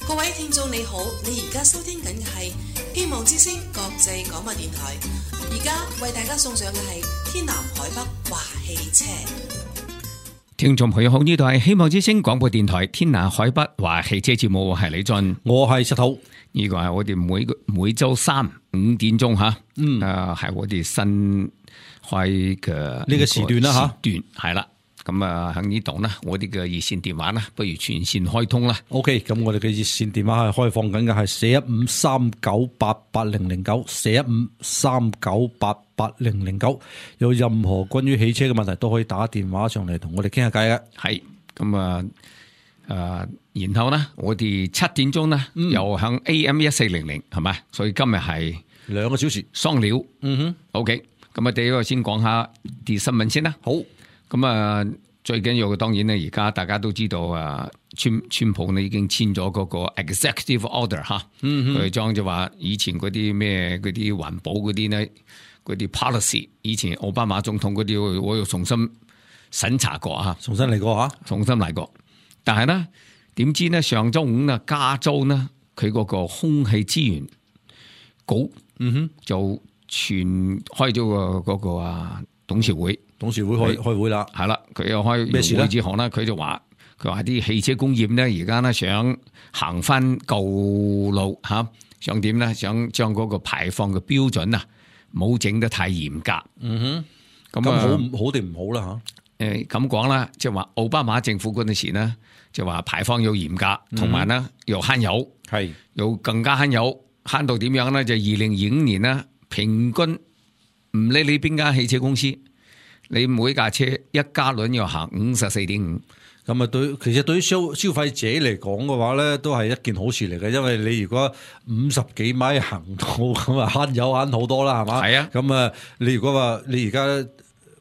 各位聽眾你好，你而家收聽緊嘅係希望之聲國際廣播電台，而家為大家送上嘅係天南海北話汽車。聽眾朋友好，呢度係希望之聲廣播電台天南海北話汽車節目，我係李俊，我係石頭。呢個係我哋每周三5點鐘吓，係我哋新開嘅呢個時段啦吓，係啦。咁啊喺呢度呢，我哋嘅熱線電話呢，不如全線開通啦。OK， 咁我哋嘅熱線電話係開放緊嘅，係41539880094 41539880009，有任何關於汽車嘅問題都可以打電話上嚟同我哋傾下偈嘅。係咁然後呢，我哋7點鐘呢，又響 AM1400係咪？所以今日係2個小時雙料。OK， 咁第一個先講下啲新聞先啦。好。咁最緊要嘅當然咧，而家大家都知道川普呢已經簽咗嗰個 executive order 吓，佢將就話以前嗰啲咩嗰啲環保嗰啲呢，嗰啲 policy， 以前奧巴馬總統嗰啲，我又重新審查過吓，重新嚟過。但係呢，點知呢上周五呢，加州呢佢嗰個空氣資源局，就全開咗個嗰個董事會開會啦，係啦，佢又開咩事咧？會之後呢，佢話啲汽車工業呢，而家呢想行翻舊路吓，想點呢？想將嗰個排放嘅標準啊，冇整得太嚴格。咁好定唔好啦吓？咁講啦，即係話奧巴馬政府嗰陣時呢，就話排放要嚴格，同埋呢又慳油，係又更加慳油，慳到點樣呢？就2025年呢，平均唔理你邊間汽車公司。你每架車1加侖要行54.5，咁啊其實對於消費者嚟講嘅話咧，都係一件好事嚟嘅，因為你如果50幾米行到咁啊，慳油慳好多啦，係嘛？係啊。咁你如果話你而家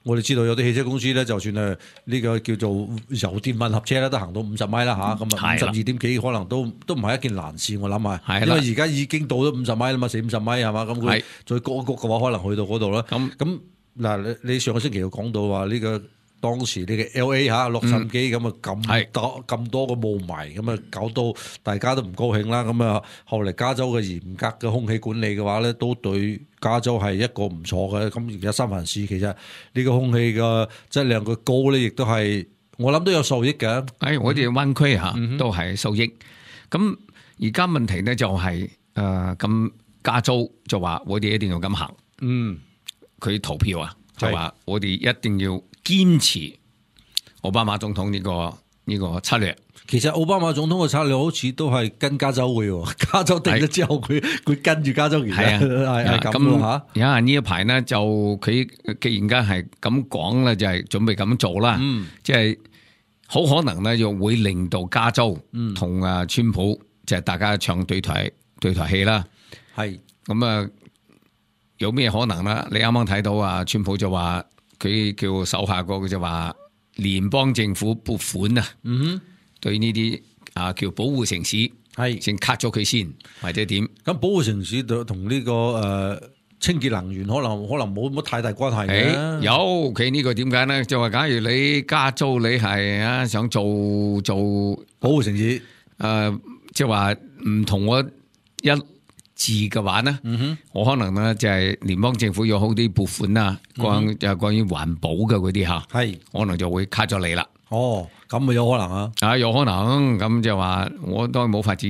我哋知道有啲汽車公司咧，就算係呢個叫做油電混合車咧，都行到50米啦吓，咁啊52點幾可能都唔係一件難事，我諗係，因為而家已經到咗50米啦嘛，40-50米係嘛，咁佢再谷一谷嘅話，可能去到嗰度啦。咁嗱，你上個星期又講到話呢個當時呢個 LA 吓洛杉磯咁啊咁多個霧霾，咁啊搞到大家都唔高興啦。咁啊後嚟加州嘅嚴格嘅空氣管理嘅話咧，都對加州係一個唔錯嘅。咁而家三藩市其實呢個空氣嘅質量嘅高咧，亦都係我諗都有受益嘅。我哋灣區吓都係受益。咁而家問題咧就係咁加州就話我哋一定要咁行。佢投票啊，就話我哋一定要堅持奧巴馬總統呢個策略。其實奧巴馬總統嘅策略好似都係跟加州嘅，加州定咗之後，佢跟住加州而係咁吓。而家呢一排呢，就佢既然間係咁講咧，就係準備咁做啦。即係好可能咧，又會令到加州同川普就係大家唱對台戲啦。係咁有咩可能啦？你啱啱睇到川普就話佢叫手下個就話聯邦政府撥款啊，對呢啲叫保護城市係先 cut 咗佢先，或者點？咁保護城市同呢個清潔能源可能冇乜太大關係嘅。有佢呢個點解咧？就話假如你加州你係想做保護城市，即係話唔同我一字嘅話呢，我可能呢就係聯邦政府有好啲撥款啊，關於環保嘅嗰啲吓，係可能就會 cut 咗你啦。咁咪有可能有可能咁就話我都冇法子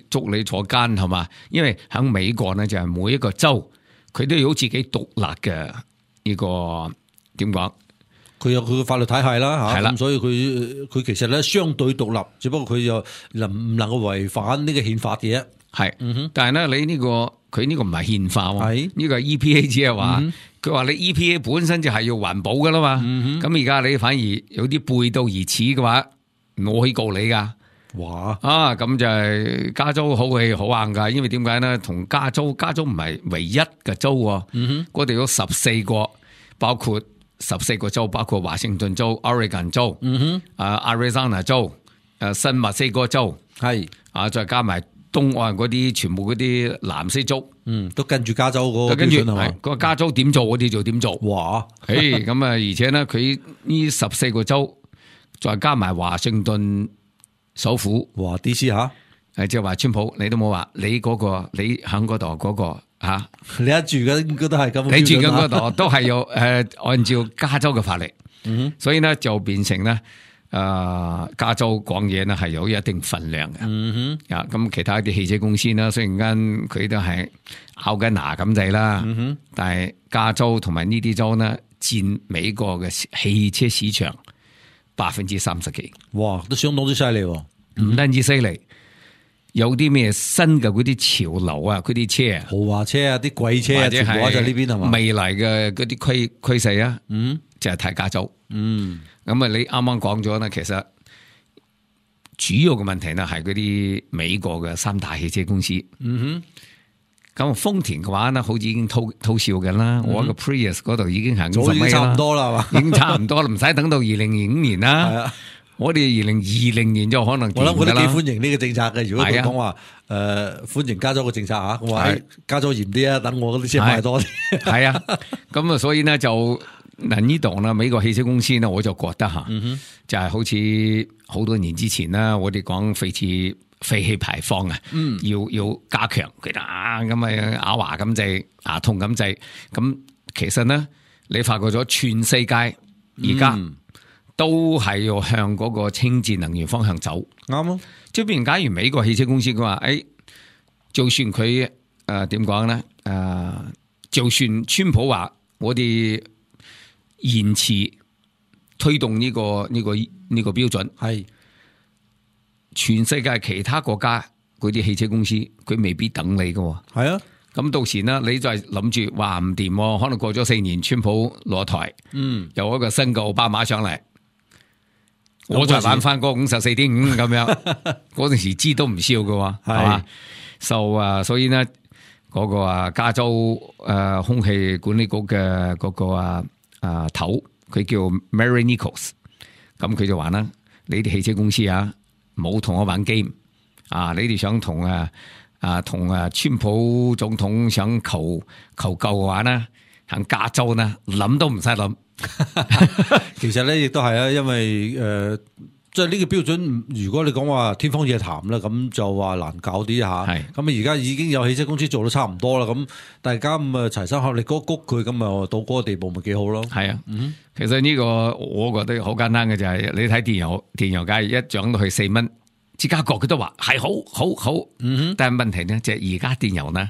捉你坐監係嘛？因為喺美國呢，就係每一個州佢都有自己獨立嘅呢個點講，佢有佢嘅法律體系啦吓，係啦，咁所以佢其實咧相對獨立，只不過佢又唔能夠違反呢個憲法嘅。係，但係咧，你呢個佢呢個唔係憲法喎，呢個係 EPA 只係話，佢話你 EPA 本身就係要環保噶啦嘛，咁而家你反而有啲背道而馳嘅話，我可以告你噶。哇！咁就係加州好氣好硬噶，因為點解咧？同加州唔係唯一嘅州，嗰度有14個，包括14個州，包括華盛頓州、Oregon 州、Arizona 州、新墨西哥州，係再加埋東岸嗰啲全部嗰啲藍色州，都跟住加州嗰個標準係嘛？個加州點做，我哋就點做。哇！咁而且咧，佢呢14個州，再加埋華盛頓首府，DC 吓，即係話川普，你都冇話你嗰個，你喺嗰度嗰個吓，你一住嘅應該都係咁，你住緊嗰度都係要按照加州嘅法例，所以咧就變成咧加州講嘢咧係有一定分量嘅，咁其他啲汽車公司啦，雖然間佢都係咬緊牙咁滯啦，但係加州同埋呢啲州呢，佔美國嘅汽車市場30%幾，哇，都相當之犀利，唔單止犀利。有啲咩新嘅嗰啲潮流啊，嗰啲車啊，豪華車啊，啲貴車啊，全部喺就呢邊係嘛？未來嘅嗰啲趨勢啊，就係睇加州。咁啊，你啱啱講咗咧，其實主要嘅問題呢係嗰啲美國嘅3大汽車公司。咁豐田嘅話呢，好似已經偷笑緊啦。我個 Prius 嗰度已經係50米啦，差唔多啦，係嘛？已經差唔多啦，唔使等到2005年啦。我哋2020年就可能我諗佢都幾歡迎呢個政策嘅。如果佢講話歡迎加州嘅政策嚇，我話加州嚴啲啊，等我嗰啲車賣多啲。係啊，咁啊，所以呢，就呢度呢，美國汽車公司呢，我就覺得嚇，就係好似好多年之前啦，我哋講廢氣排放啊，要加強佢啦，咁啊咬牙咁滯，牙痛咁滯。咁其實呢，你發覺咗全世界而家都係要向嗰個清潔能源方向走，啱啊！即係譬如假如美國汽車公司佢話，就算佢點講咧？就算川普話我哋延遲推動呢個標準，係全世界其他國家嗰啲汽車公司，佢未必等你噶。係啊，咁到時呢，你就係諗住話唔掂，可能過咗4年，川普落台，有一個新嘅奧巴馬上嚟。我就玩翻嗰54.5咁樣，嗰陣時知都唔笑㗎，係嘛？所以呢，嗰個加州空氣管理局嘅嗰個頭，佢叫 Mary Nichols， 咁佢就話啦：你啲汽車公司啊，冇同我玩 game 啊！你哋想同川普總統想求救嘅話呢，喺加州呢諗都唔使諗。其實咧，亦都係啊，因為即係呢個標準，如果你講話天方夜譚啦，咁就話難搞啲吓。咁啊，而家已經有汽車公司做到差唔多啦，咁大家咁啊齊心合力谷佢，咁啊到嗰個地步咪幾好咯。係啊，其實呢個我覺得好簡單嘅就係你睇電油價一漲到去4蚊，芝加哥佢都話係好，但係問題呢，就係而家電油呢，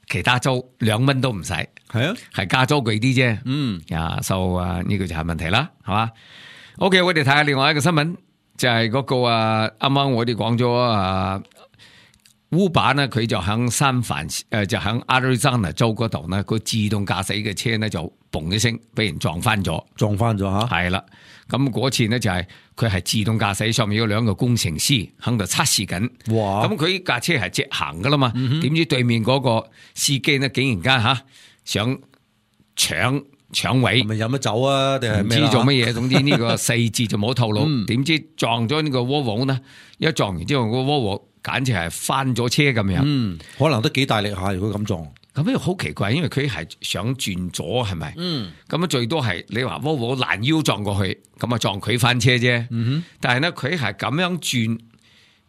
其他州2蚊都唔使，係啊，係加州貴啲啫。呢個就係問題啦，係嘛 ？OK， 我哋睇下另外一個新聞，就係嗰個啱啱我哋講咗Uber 呢，佢就響就響 Arizona 州嗰度呢，個自動駕駛嘅車呢就嘣一聲俾人撞翻咗吓，係啦。咁嗰次呢就係佢係自動駕駛，上面有2個工程師喺度測試緊。哇！咁佢架車係直行噶啦嘛，點知對面嗰個司機呢竟然間想搶位，咪飲咗酒啊？定係唔知做乜嘢？總之呢個細節就冇透露。點知撞咗呢個窩窩呢？一撞完之後，個窩窩簡直係翻咗車咁樣。可能都幾大力下，如果咁撞。咁樣好奇怪，因為佢係想轉左，係咪？咁最多係你話窩窩攔腰撞過去，咁啊撞佢翻車啫。但係呢，佢係咁樣轉。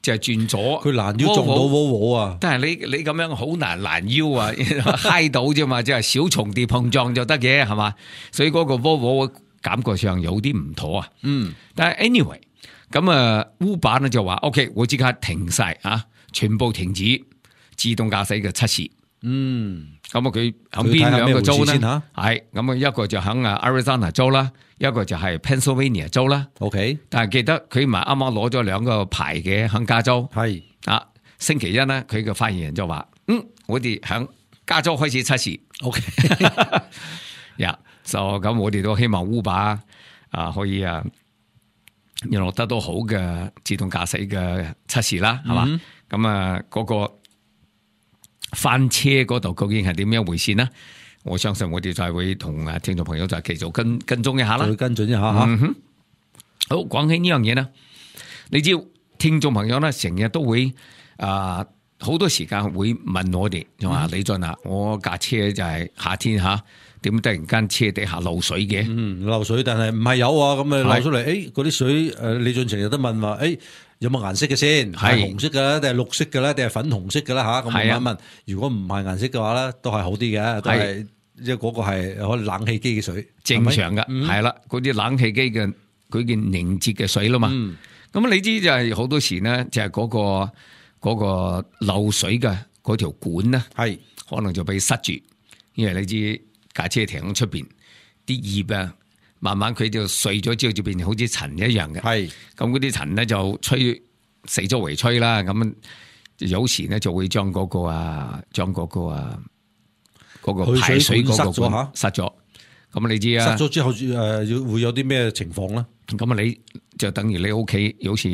就係轉咗，佢攔腰撞到窩啊！但係你咁樣好難攔腰啊，揩到啫嘛，即係小重疊碰撞就得嘅，係嘛？所以嗰個窩感覺上有啲唔妥啊。但係 anyway， 咁Uber 呢就話 OK， 我即刻停晒全部停止自動駕駛嘅測試。咁佢喺邊2個州呢？係咁一個就喺Arizona 州啦。一個就係 Pennsylvania 州啦，OK， 但係記得佢唔係啱啱攞咗2個牌嘅喺加州，係星期一呢，佢嘅發言人就話，我哋喺加州開始測試 ，OK， 就咁我哋都希望 Uber 可以落得到好嘅自動駕駛嘅測試啦，係嘛？咁嗰個翻車嗰度究竟係點樣回事呢？我相信我哋就係會同聽眾朋友就繼續跟蹤一下啦，會跟進一下吓。好，講起呢樣嘢呢，你知聽眾朋友呢成日都會好多時間會問我哋，就話李俊我架車就係夏天點突然間車底下漏水嘅？漏水，但係唔係有咁漏出嚟？嗰啲水李俊成日都問話，有冇顏色嘅先？係紅色嘅咧，定係綠色嘅咧，定係粉紅色嘅啦嚇？咁我問，如果唔係顏色嘅話咧，都係好啲嘅，都係即係嗰個係可能冷氣機嘅水，正常嘅，係啦，嗰啲冷氣機嘅佢嘅凝結嘅水啦嘛。咁你知就係好多時呢，就係嗰個漏水嘅嗰條管咧，係可能就被塞住，因為你知架車停喺出邊，啲葉啊，慢慢佢就碎咗之後就變成好似塵一樣嘅。係咁嗰啲塵咧就吹四周圍吹啦，咁有時咧就會將嗰個排水嗰個管塞咗。咁你知啊，塞咗之後會有啲咩情況咧？咁啊，你就等於你屋企有時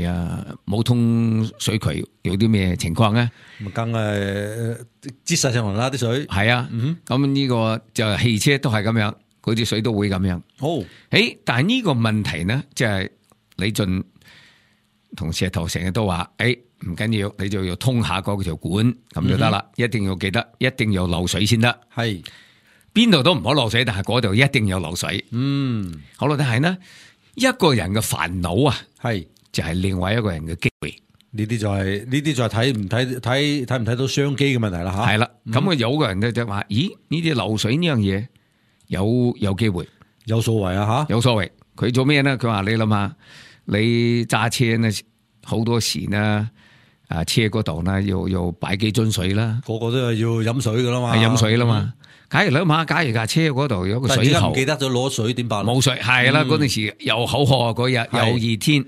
冇通水渠，有啲咩情況咧？咁梗係擠晒上嚟啦啲水。係啊，咁呢個就汽車都係咁樣，嗰啲水都會咁樣。但係呢個問題呢，即係李俊同石頭成日都話，唔緊要，你就要通下嗰條管咁就得啦。一定要記得，一定要漏水先得。係。邊度都唔好漏水，但係嗰度一定有漏水。好啦，但係呢一個人嘅煩惱啊，係就係另外一個人嘅機會。呢啲就係睇唔睇到商機嘅問題啦吓。係啦，咁有個人就話：咦，呢啲漏水呢樣嘢有機會，有所謂啊吓，有所謂。佢做咩呢？佢話你諗下，你揸車呢好多時呢，車嗰度呢要擺幾樽水啦，個個都係要飲水噶啦嘛，係飲水啦嘛。假如諗下，假如架車嗰度有個水喉，唔記得咗攞水點辦？冇水係啦，嗰陣時又口渴嗰日又熱天，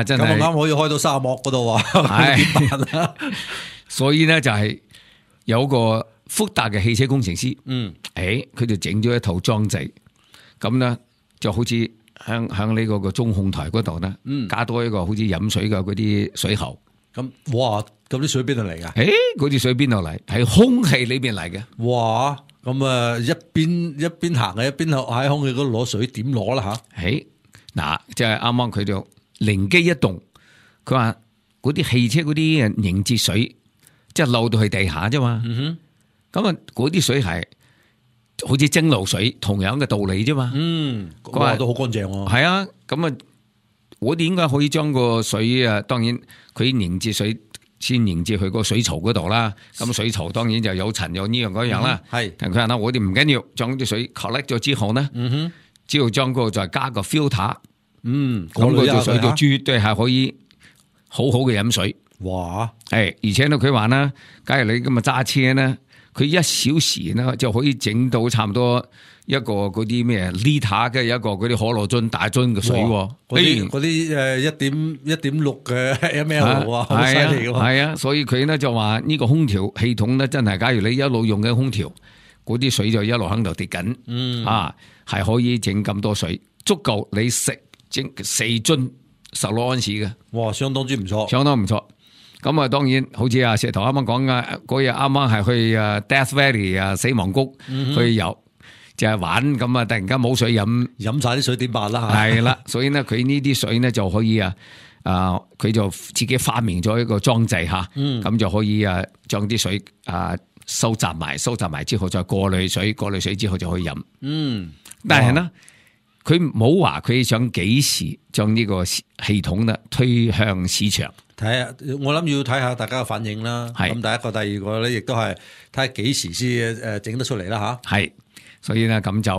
真係咁啱可以開到沙漠嗰度啊！係，所以呢就係有個福達嘅汽車工程師，佢就整咗一套裝置，咁呢就好似響呢個中控台嗰度呢，加多一個好似飲水嘅嗰啲水喉。咁哇，咁啲水邊度嚟噶？嗰啲水邊度嚟？係空氣裏邊嚟嘅。哇，咁啊一邊行嘅一邊喺空氣嗰度攞水，點攞啦吓？嗱，即係啱啱佢就靈機一動，佢話嗰啲汽車嗰啲凝結水，即係漏到去地下啫嘛。咁啊，嗰啲水係好似蒸餾水，同樣嘅道理啫嘛。佢話都好乾淨喎。係啊，咁啊。我哋應該可以將個水當然佢凝結水先凝結去個水槽嗰度啦。咁水槽當然就有塵有呢樣嗰樣啦。係，但佢話我哋唔緊要，將啲水 collect 咗之後呢，只要將個再加個 filter，咁嗰條水就絕對係可以好好嘅飲水。哇！而且呢，佢話呢，假如你咁啊揸車呢，佢1小時呢就可以整到差唔多一個嗰啲咩 liter 嘅一個嗰啲可樂樽大樽嘅水，嗰啲1.6嘅 ml 啊，好犀利嘅。係啊，所以佢呢就話呢個空調系統呢，真係假如你一路用緊空調，嗰啲水就一路喺度跌緊，係可以整咁多水，足夠你整4樽16安士嘅。哇，相當之唔錯，相當唔錯。咁啊，當然好似石頭啱啱講嘅嗰日，啱啱係去Death Valley 死亡谷去遊。就係玩咁啊！突然間冇水飲晒啲水點辦啦？係啦，所以呢，佢呢啲水呢就可以佢就自己發明咗一個裝置吓，咁就可以將啲水收集埋之後再過濾水之後就可以飲。但係呢，佢冇話佢想幾時將呢個系統呢推向市場。睇下，我諗要睇下大家嘅反應啦。咁第一個、第二個咧，亦都係睇下幾時先整得出嚟啦吓。係。所以咧咁就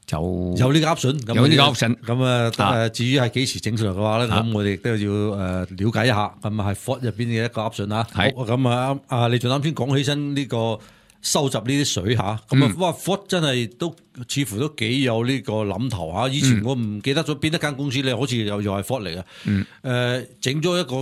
就有呢個 option， 有呢個 option。咁至於係幾時整出嚟嘅話咧，咁我哋亦都要了解一下。咁係 Ford 入邊嘅一個 option 啊。係。咁你仲啱先講起身呢個收集呢啲水吓，咁哇 Ford 真係都似乎都幾有呢個諗頭吓。以前我唔記得咗邊一間公司咧，好似又係 Ford 嚟嘅。整咗一個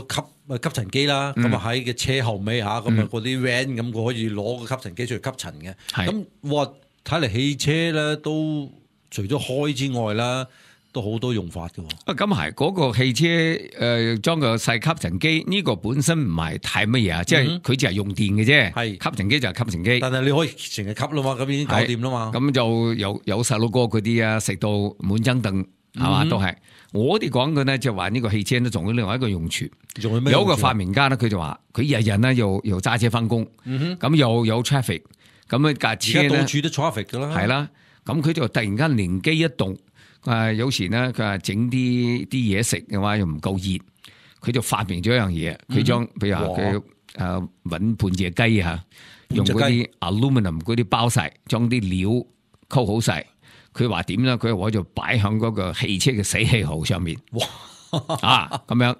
吸塵機啦，咁啊喺嘅車後尾吓，咁啊嗰啲 van 咁佢可以攞個吸塵機出去吸塵嘅。咁哇，睇嚟汽車咧都除咗開之外啦，都好多用法嘅。咁係嗰個汽車裝個細吸塵機，呢個本身唔係太乜嘢啊，即係佢只係用電嘅啫。係吸塵機就係吸塵機，但係你可以成日吸啦嘛，咁已經搞掂啦嘛。咁就有細佬哥嗰啲啊，食到滿張凳係嘛，都係。我哋講嘅呢就話呢個汽車呢仲有另外一個用處，有一個發明家呢佢就話佢日日呢又揸車翻工，咁又有 traffic， 咁架車呢到處都 traffic 噶啦，係啦，咁佢就突然間靈機一動，有時咧佢話整啲嘢食嘅話又唔夠熱，佢就發明咗一樣嘢，佢將譬如話佢搵半隻雞啊，用嗰啲 aluminum 嗰啲包晒，將啲料溝好晒。佢話點咧？佢話我就擺響嗰個汽車嘅死氣喉上面。哇！咁樣，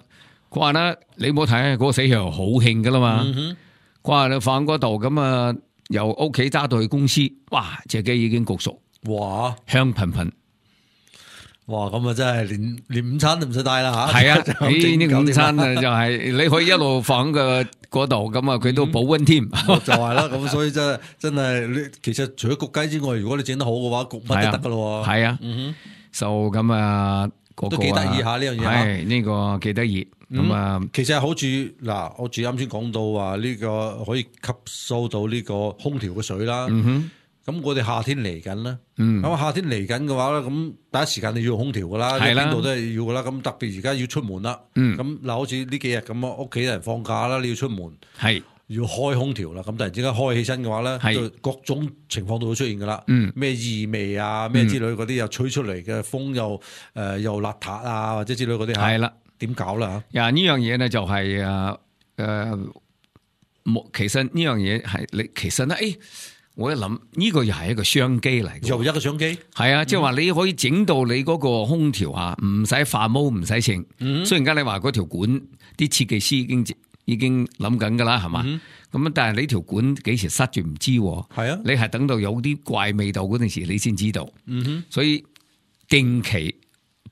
佢話咧你冇睇嗰個死氣喉好興噶啦嘛。佢話你放嗰度咁啊，由屋企揸到去公司，哇！隻雞已經焗熟，哇，香噴噴。哇！咁啊，真係連午餐都唔使帶啦吓。係啊，呢個午餐啊，就係你可以一路放喺嗰度，咁啊，佢都保溫添。就係啦，咁所以真係，其實除咗焗雞之外，如果你整得好嘅話，焗乜都得噶咯。係啊，就咁啊，都幾得意下呢樣嘢。係呢個幾得意。咁啊，其實好似嗱，我住啱先講到話呢個可以吸收到呢個空調嘅水啦。咁我哋夏天嚟緊啦，咁夏天嚟緊嘅話咧，咁第一時間你要用空調噶啦，邊度都係要噶啦。咁特別而家要出門啦，咁嗱，好似呢幾日咁啊，屋企人放假啦，你要出門，係要開空調啦。咁突然之間開起身嘅話咧，就各種情況都會出現噶啦。咩異味啊，咩之類嗰啲又吹出嚟嘅風又邋遢啊，或者之類嗰啲係啦，點搞啦嚇？呀，呢樣嘢咧就係其實呢樣嘢係你其實咧我一諗呢個又係一個商機嚟嘅，又一個商機，係啊，即係話你可以整到你嗰個空調啊，唔使化毛，唔使剩。雖然間你話嗰條管啲設計師已經諗緊噶啦，係嘛？咁但係你條管幾時塞住唔知，係啊，你係等到有啲怪味道嗰陣時你先知道。所以定期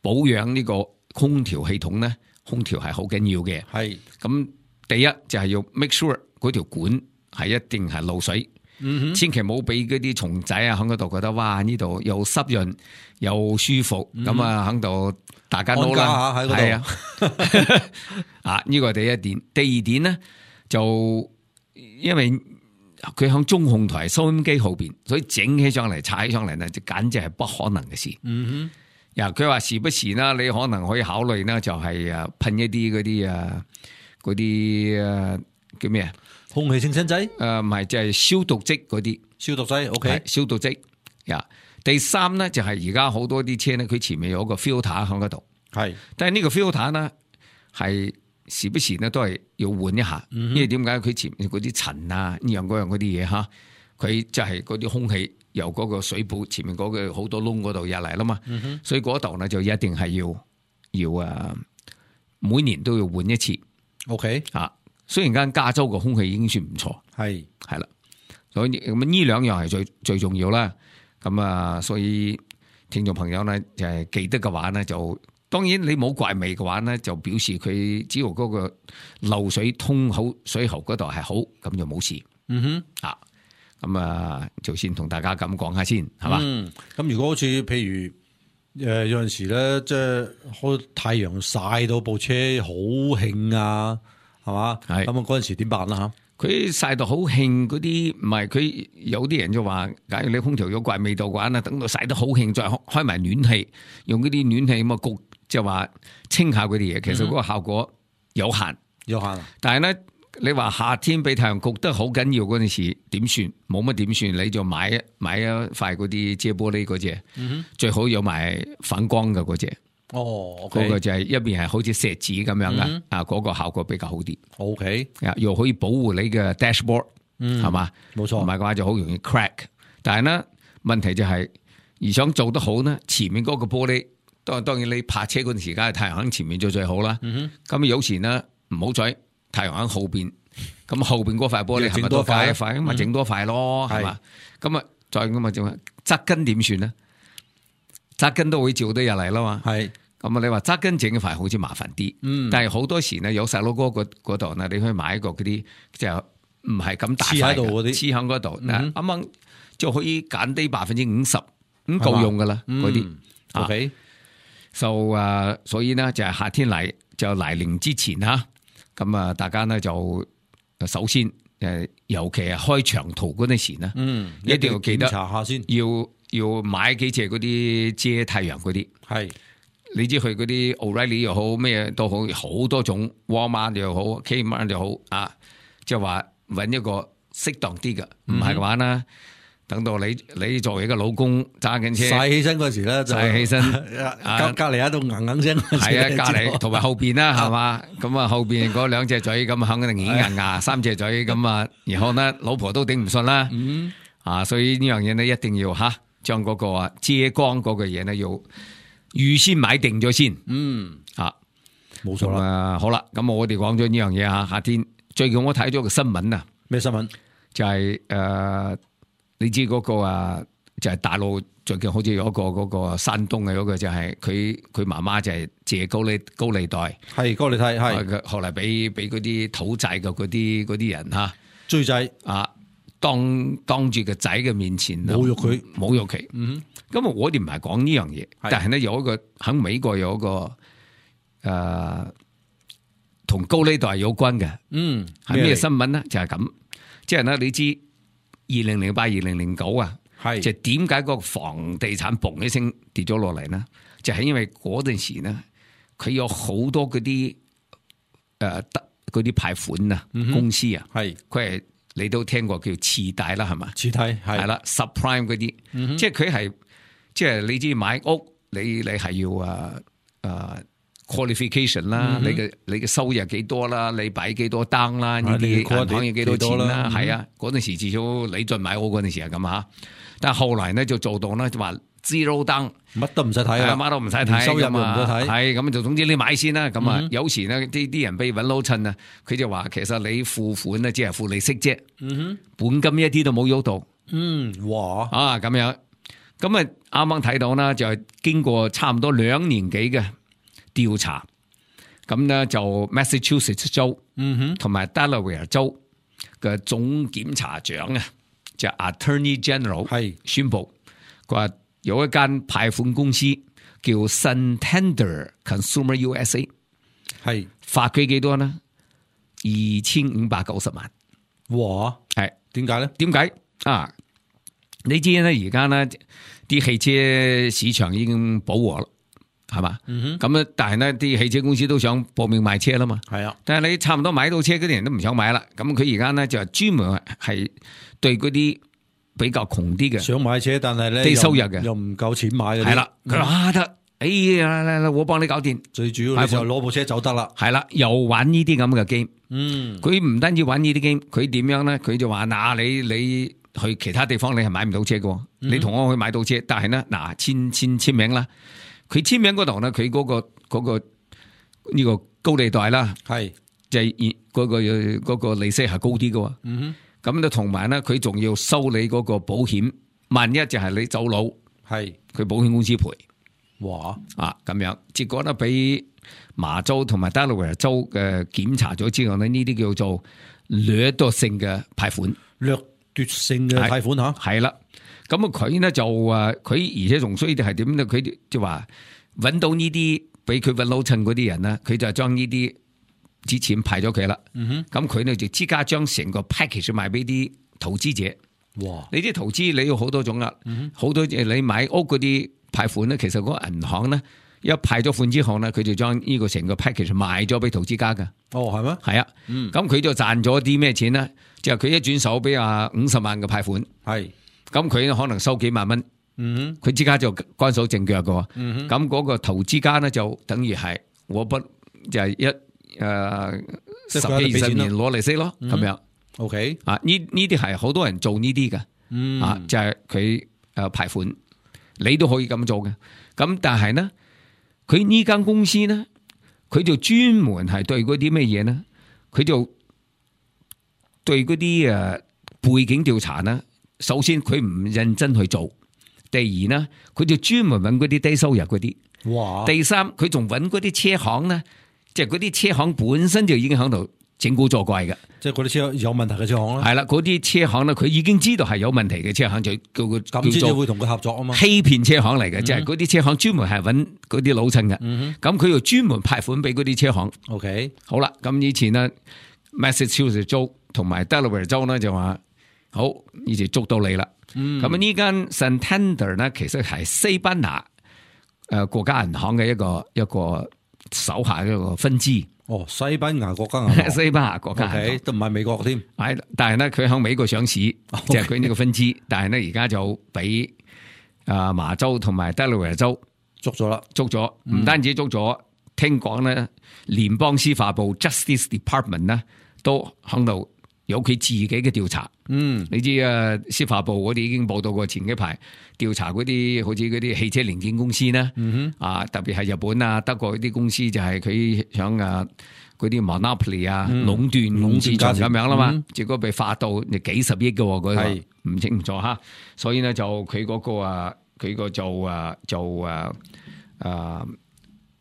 保養呢個空調系統咧，空調係好緊要嘅。係咁，第一就係要 make sure 嗰條管係一定係漏水。千祈冇俾嗰啲蟲仔啊喺嗰度覺得哇呢度又濕潤又舒服，咁啊喺度大家都啦，係啊，啊呢個係第一點。第二點咧就因為佢響中控台收音機後邊，所以整起上嚟踩起上嚟咧就簡直係不可能嘅事。佢話時不時啦，你可能可以考慮呢，就係噴一啲嗰啲叫咩啊？空氣清新劑？唔係，就係消毒劑嗰啲消毒劑。OK， 消毒劑。第三咧就係而家好多啲車咧，佢前面有個 filter 喺嗰度。係，但係呢個 filter 咧係時不時咧都係要換一下，因為點解佢前面嗰啲塵啊呢樣嗰樣嗰啲嘢吓，佢就係嗰啲空氣由嗰個水泡前面嗰個好多窿嗰度入嚟啦嘛。所以嗰度咧就一定係要每年都要換一次。OK 啊。雖然間加州個空氣已經算唔錯，係啦，所以咁呢兩樣係最重要啦。咁啊，所以聽眾朋友咧就係記得嘅話咧，就當然你冇怪味嘅話咧，就表示佢只要嗰個漏水通好水喉嗰度係好，咁就冇事。咁啊，就先同大家咁講下先，係嘛？咁如果好似譬如有陣時咧，即係開太陽曬到部車好興啊。係嘛？係咁啊！嗰陣時點辦啦？吓，佢曬到好興嗰啲，唔係佢有啲人就話，假如你空調有怪味道嘅話，等到曬得好興，再開埋暖氣，用嗰啲暖氣咁啊焗，就話清下嗰啲嘢。其實嗰個效果有限，有限。但係咧，你話夏天俾太陽焗得好緊要嗰陣時，點算？冇乜點算？你就買一塊嗰啲遮玻璃嗰隻，最好有埋反光嘅嗰隻。嗰個就係一邊係好似錫紙咁樣噶，嗰個效果比較好啲。OK，又可以保護你嘅 dashboard，係嘛？冇錯，唔係嘅話就好容易 crack。但係呢問題就係，而想做得好呢，前面嗰個玻璃，當然你泊車嗰陣時間太陽喺前面最好啦。咁有時呢唔好彩太陽喺後邊，咁後邊嗰塊玻璃係咪多塊一塊？咁咪整多塊咯，係嘛？咁啊再咁啊就側根點算呢？側根都會照得入嚟啦嘛。係。咁啊！你話紮根整嘅塊好似麻煩啲，但係好多時呢，有細佬哥嗰度呢，你可以買一個嗰啲就唔係咁大塊嘅，黐喺嗰度，啱啱就可以減低50%，咁夠用噶啦嗰啲。OK，所以呢，就係夏天嚟臨之前吓，咁啊大家呢，就首先尤其係開長途嗰陣時呢，一定要記得查下先，要買幾隻嗰啲遮太陽嗰啲係。你知佢嗰啲 O'Reilly 又好咩都好，好多種 Walmart 又好 Kmart 又好啊，即係話揾一個適當啲嘅，唔係嘅話呢，等到你作為一個老公揸緊車，晒起身嗰時咧就晒起身，隔離喺度硬聲，係啊，隔離同埋後邊啦，係嘛？咁啊後邊嗰兩隻嘴咁肯定軟硬牙，三隻嘴咁啊，然後呢老婆都頂唔順啦，所以呢樣嘢呢一定要將嗰個遮光嗰個嘢呢要預先買定咗先，冇錯啦。好啦，咁我哋講咗呢樣嘢夏天最近我睇咗個新聞啊，咩新聞？就係你知嗰個就係大陸最近好似有一個嗰個山東嘅嗰個就係佢媽媽就係借高利貸，係高利貸係，後來俾嗰啲討債嘅嗰啲人追債當住個仔嘅面前侮辱佢。咁我哋唔係講呢樣嘢，但係咧有一個喺美國有一個同高利貸有關嘅，係咩新聞呢？就係咁，即係咧你知2008、2009就點解個房地產嘣一聲跌咗落嚟呢？就係因為嗰陣時呢，佢有好多嗰啲嗰啲貸款公司佢係你都聽過叫次貸啦，係嘛？次貸係啦 ，subprime 嗰啲，即係佢係即係你知買屋，你係要qualification 啦，你嘅收入幾多啦，你擺幾多單啦，呢啲銀行要幾多錢啦，係啊，嗰陣時至少你進買屋嗰陣時係咁但係後來呢就做到呢就話 zero down，乜都唔使睇乜都唔使睇，收入又唔使睇，係咁就總之你買先啦，咁有時呢啲人俾揾撈襯啊，佢就話其實你付款呢只係付利息啫，本金一啲都冇喐到，哇咁樣，咁啱啱睇到啦，就係經過差唔多2年幾嘅調查，咁咧就 Massachusetts 州同埋 Delaware 州嘅總檢察長就 Attorney General 宣布，佢話有一間貸款公司叫 Santander Consumer USA， 罰佢幾多呢？2590萬。哇！係點解咧？點解你知咧，而家呢啲汽車市場已經飽和啦。係嘛？咁但係呢啲汽車公司都想搏命賣車啦嘛。係啊，但係你差唔多買到車嗰啲人都唔想買啦。咁佢而家呢就專門係對嗰啲比較窮啲嘅想買車，但係咧低收入嘅又唔夠錢買嘅。係啦，佢話得，哎呀，我幫你搞掂。最主要你就攞部車走得啦。係啦，又玩呢啲咁嘅 game。佢唔單止玩呢啲 game，佢點樣咧？佢就話你去其他地方你係買唔到車嘅，你同我去買到車，但係呢簽名啦。佢簽名嗰度呢，佢嗰個呢個高利貸啦，係就係嗰個利息係高啲嘅。咁咧同埋呢，佢仲要收你嗰個保險，萬一就係你走佬，係佢保險公司賠。哇！咁樣，結果呢，俾麻州同埋 Delaware 州嘅檢查咗之後呢，呢啲叫做掠奪性嘅貸款，掠奪性嘅貸款係啦。咁佢呢就佢而且仲衰啲係點咧？佢就話揾到呢啲俾佢揾老襯嗰啲人呢，佢就將呢啲之前派咗佢啦。咁佢呢就即刻將成個 package 賣俾啲投資者。哇！你啲投資你要好多種啦，好多你買屋嗰啲貸款呢，其實嗰個銀行呢一派咗款之後呢，佢就將呢個成個 package 賣咗俾投資家噶。哦，係咩？係啊。咁佢就賺咗啲咩錢呢？就係佢一轉手俾50萬嘅貸款。係。咁佢可能收幾萬蚊，佢即刻就乾手淨腳嘅，咁嗰個投資家呢，就等於係我不就係10幾20年攞利息咯，咁樣。OK，呢啲係好多人做呢啲嘅，就係佢貸款，你都可以咁做嘅。咁但係呢，佢呢間公司呢，佢就專門係對嗰啲咩嘢呢？佢就對嗰啲背景調查呢。首先佢唔認真去做，第二呢，佢就專門揾嗰啲低收入嗰啲。哇！第三，佢仲揾嗰啲車行呢，即係嗰啲車行本身就已經喺度整蠱作怪嘅。即係嗰啲車有問題嘅車行啦。係啦，嗰啲車行呢，佢已經知道係有問題嘅車行，就叫佢咁先會同佢合作啊嘛。欺騙車行嚟嘅，即係嗰啲車行專門係揾嗰啲老襯嘅。咁佢又專門派款俾嗰啲車行。OK，好啦，咁以前呢 Massachusetts 州同埋 Delaware 州呢就話。好，呢就捉到你啦。咁呢間 Santander 呢，其實係西班牙國家銀行嘅一個手下一個分支。西班牙國家銀行，西班牙國家銀行都唔係美國添。係，但係咧佢喺美國上市，就係佢呢個分支。但係咧而家就俾麻州同埋德拉維州捉咗啦，捉咗，唔單止捉咗，聽講咧聯邦司法部 Justice Department 咧都喺度有佢自己嘅調查。你知司法部我哋已經報道過前幾排調查嗰啲好似嗰啲汽車零件公司啦，特別係日本啊、德國嗰啲公司就係佢想嗰啲 monopoly 壟斷市場咁樣啦嘛，結果被罰到你幾十億嘅，嗰個唔清楚吓，所以呢就佢嗰個佢個就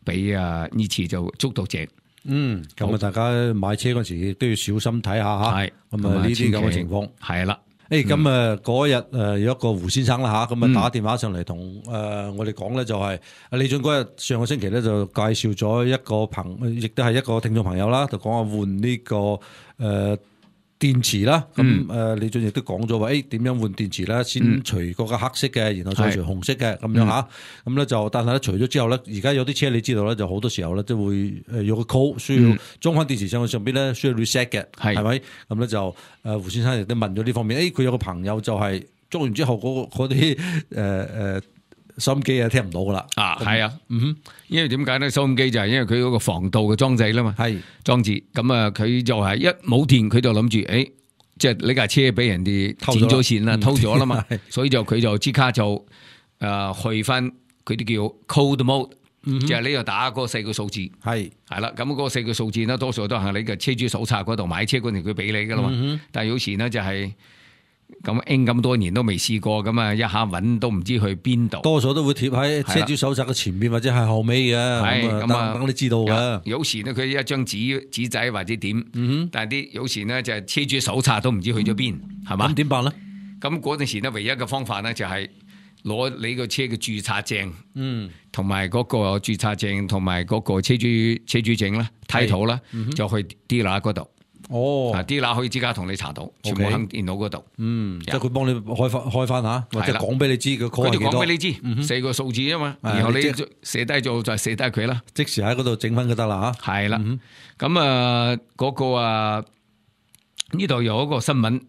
俾呢次就捉到正。咁大家買車嗰時亦都要小心睇下吓。係咁呢啲咁嘅情況係啦。咁嗰日有一個胡先生啦吓，咁打電話上嚟同我哋講咧，就係李俊嗰日上個星期咧就介紹咗一個亦都係一個聽眾朋友啦，就講下換呢個電池啦。咁李俊亦都講咗話，點樣換電池咧？先除嗰個黑色嘅，然後再除紅色嘅咁樣吓。咁咧就，但係咧除咗之後咧，而家有啲車你知道咧，就好多時候咧都會有個 code 需要裝翻電池上去上邊咧，需要 reset 嘅，係咪？咁咧就胡先生亦都問咗呢方面。佢有個朋友就係裝完之後嗰啲收音機聽唔到噶啦。係啊，因為點解咧？收音機就係因為佢嗰個防盜嘅裝置啦嘛，係裝置。咁佢就係一冇電，佢就諗住即係呢架車俾人哋剪咗線啦，偷咗啦嘛，所以佢就即刻就去翻佢啲叫 code mode，即係呢度打嗰4個數字，係啦。咁嗰4個數字呢，多數都係你嘅車主手冊嗰度買車嗰陣佢俾你噶啦嘛。但係有時呢就係。咁多年都未試過，咁啊一下揾都唔知去邊度。多數都會貼喺車主手冊嘅前面或者係後尾嘅，咁等你知道嘅。有時呢，佢一張紙仔或者點，但係有時呢，就係車主手冊都唔知去咗邊，係嘛？咁點辦呢？咁嗰陣時呢，唯一嘅方法呢，就係攞你個車嘅註冊證，同埋嗰個註冊證同埋嗰個車主證啦、title啦，就去 dealer 嗰度。dealer 可以即刻同你查到，全部喺電腦嗰度。即係佢幫你開翻吓，或者講俾你知個 code 係幾多。佢講俾你知，4個數字啊嘛，然後你寫低咗就寫低佢啦，即時喺嗰度整翻就得啦吓。係啦，咁嗰個呢度有一個新聞。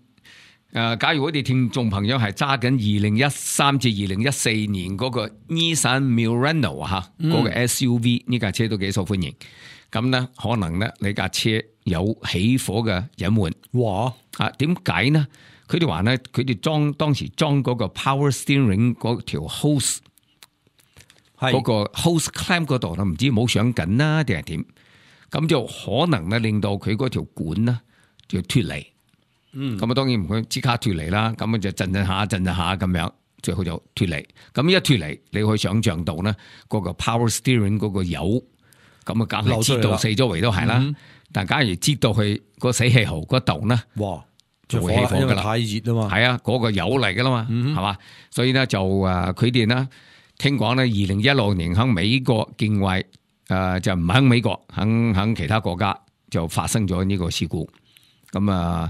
假如我哋聽眾朋友係揸緊2013至2014年嗰個 Nissan Murano 嗰個 SUV 呢架車都幾受歡迎。咁咧可能咧你架車有起火嘅隱患。哇！點解呢？佢哋話咧，佢哋當時裝嗰個 power steering 嗰條 hose， 嗰個 hose clamp 嗰度咧，唔知冇上緊啦定係點？咁就可能咧令到佢嗰條管呢就脫離。咁當然唔會即刻脫離啦，咁就震下咁樣，最後就脫離。咁一脫離，你可以想象到呢嗰個 power steering 嗰個油，咁啊梗係擠到四周圍都係啦。但假如擠到去個死氣喉嗰度呢，哇，就會起火噶啦，太熱啊嘛。係啊，嗰個油嚟噶啦嘛，係嘛。所以呢，就佢哋呢聽講呢2016年喺美國境外就唔喺美國，喺其他國家就發生咗呢個事故。咁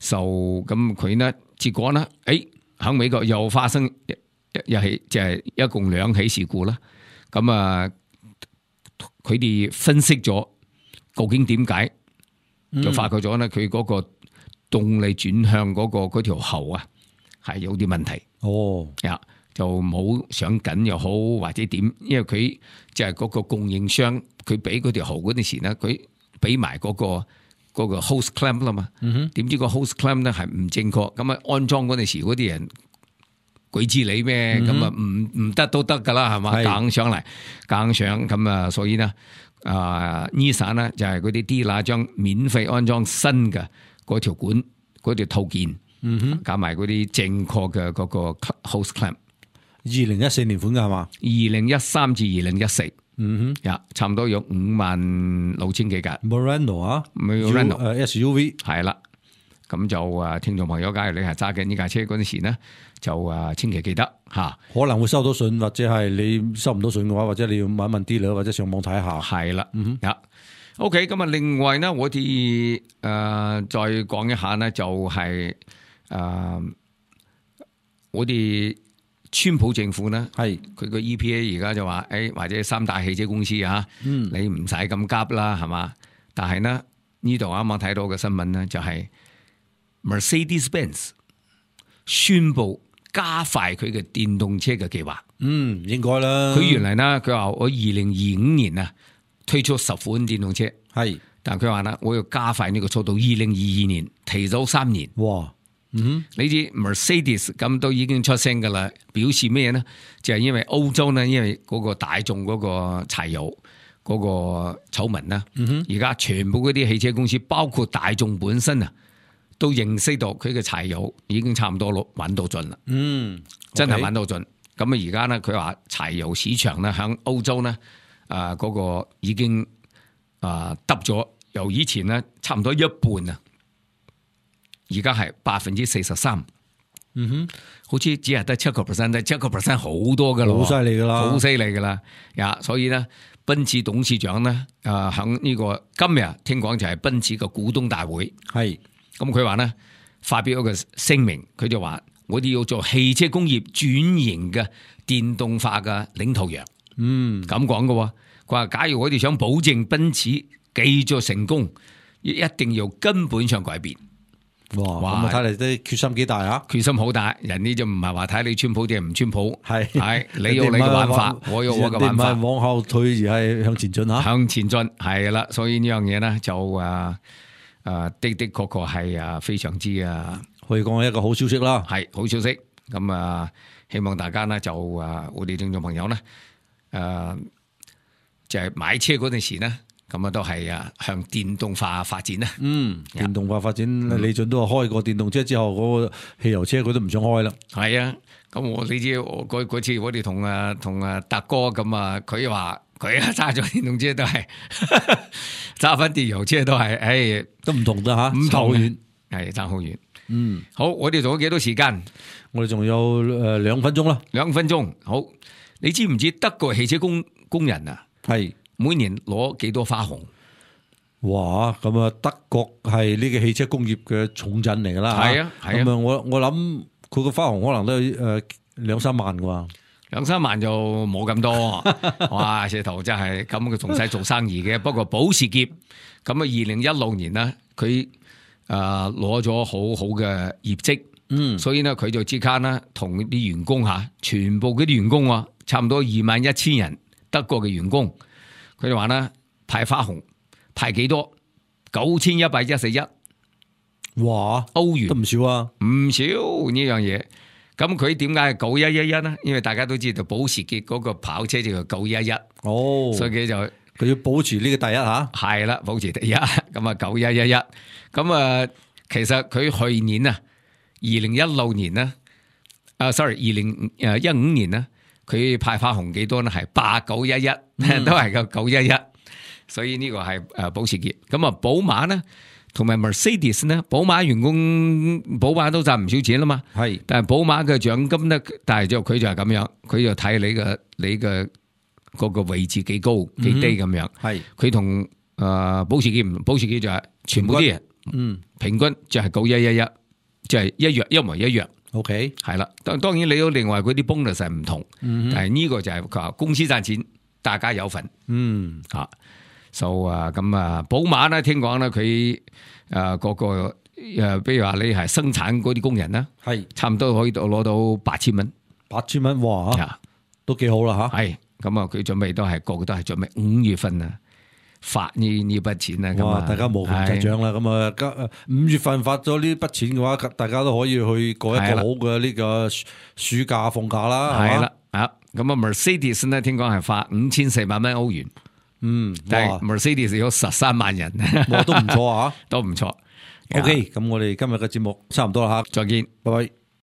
咁佢呢結果呢，喺美國又發生一起，就係一共2起事故啦。咁佢哋分析咗究竟點解，就發覺咗呢，佢嗰個動力轉向嗰條喉啊係有啲問題。就冇上緊又好或者點，因為佢就係嗰個供應商，佢俾嗰條喉嗰陣時呢，佢俾埋嗰個 hose clamp 啦嘛，點知個 hose clamp 咧係唔正確，咁啊安裝嗰陣時嗰啲人鬼知你咩，咁啊唔得都得噶啦，係嘛，硬上咁啊，所以呢Nissan 呢就係嗰啲 dealer 將免費安裝新嘅嗰條管嗰條套件，加埋嗰啲正確嘅嗰個 hose clamp。2014年款噶係嘛？2013至2014。差唔多有56,000幾架 Murano SUV 係啦，咁就聽眾朋友，假如你係揸緊呢架車嗰陣時呢，就千祈記得吓，可能會收到信，或者係你收唔到信嘅話，或者你要問一問啲啦，或者上網睇下。係啦，OK， 咁啊，另外呢，我哋再講一下呢，就係我哋川普政府咧，係佢個 EPA 而家就話，或者三大汽車公司啊，你唔使咁急啦，係嘛？但係呢度啱啱睇到嘅新聞咧，就係 Mercedes-Benz 宣布加快佢嘅電動車嘅計劃。應該啦。佢原嚟呢，佢話我2025年啊推出10款電動車，係，但佢話呢，我要加快呢個速度，2022年提早3年。哇！你知 Mercedes 咁都已經出聲噶啦，表示咩呢？就係因為歐洲呢，因為嗰個大眾嗰個柴油嗰個醜聞啦，而家全部嗰啲汽車公司，包括大眾本身啊，都認識到佢嘅柴油已經差唔多揾到盡啦。真係揾到盡。咁啊，而家呢，佢話柴油市場呢，響歐洲呢，嗰個已經得咗，由以前呢差唔多一半啊。而家係43%，好似只係得7%，但7%好多噶啦，好犀利噶啦，好犀利噶啦呀！所以咧，奔馳董事長咧，響呢個今日聽講就係奔馳嘅股東大會，係咁佢話咧發表一個聲明，佢就話我哋要做汽車工業轉型嘅電動化嘅領頭羊，咁講嘅，佢話假如我哋想保證奔馳繼續成功，一定要根本上改變。哇！咁啊，睇嚟都決心幾大啊！決心好大，人呢就唔係話睇你川普定係唔川普，係你有你嘅玩法，我有我嘅玩法，唔係往後退而係向前進吓，向前進係啦。所以呢樣嘢呢，就的確係非常之可以講係一個好消息啦，係好消息。咁希望大家呢就我哋聽眾朋友呢，就係買車嗰陣時呢。咁都係向電動化發展啦。電動化發展，李俊都話開過電動車之後，嗰個汽油車佢都唔想開啦。係啊，咁你知嗰次我哋同達哥咁佢話佢揸咗電動車都係揸翻電油車都係，都唔同㗎吓，唔同遠，係爭好遠。好，我哋仲有幾多時間？我哋仲有2分鐘啦。2分鐘。好，你知唔知德國汽車工人啊？係。每年攞幾多花紅？哇！咁啊，德國係呢個汽車工業嘅重鎮嚟噶啦。係啊，係啊。咁我諗佢個花紅可能都2-3萬啩。2-3萬就冇咁多。哇！石頭真係咁，佢仲使做生意嘅。不過保時捷咁2016年呢，佢攞咗好好嘅業績。所以呢，佢就即刻呢同啲員工全部嗰啲員工差唔多21,000人德國嘅員工。佢哋話咧派花紅派幾多？9111，哇，歐元都唔少啊，唔少呢樣嘢。咁佢點解係9111呢？因為大家都知道保時捷嗰個跑車就叫911，所以佢要保持呢個第一吓。係啦，保持第一。咁9111，咁其實佢去年2016年呢2015年呢。佢派花紅幾多呢？係8911，都係個911，所以呢個係保時捷。咁寶馬呢，同埋 Mercedes 呢，寶馬員工寶馬都賺唔少錢啦嘛。係，但係寶馬嘅獎金呢，但係佢就係咁樣，佢就睇你嘅嗰個位置幾高幾低咁樣。係，佢同保時捷唔同，保時捷就係全部啲人，平均就係9111，就係一模一樣。OK， 係啦，當然你都另外嗰啲 bonus 係唔同，但係呢個就係佢話公司賺錢，大家有份。咁寶馬咧，聽講咧佢嗰個比如話你係生產嗰啲工人啦，係差唔多可以攞到8,000蚊，8,000蚊，哇，都幾好啦吓。係咁佢準備都係個個都係準備5月份啊。發呢筆錢啦，咁大家無窮齊獎啦。咁5月份發咗呢筆錢嘅話，大家都可以去過一個好嘅呢個暑假放假啦。係啦，咁Mercedes 呢，聽講係發5400蚊歐元。但係 Mercedes 有13萬人，都唔錯啊，都唔錯。OK，咁我哋今日嘅節目差唔多啦吓，再見，拜拜。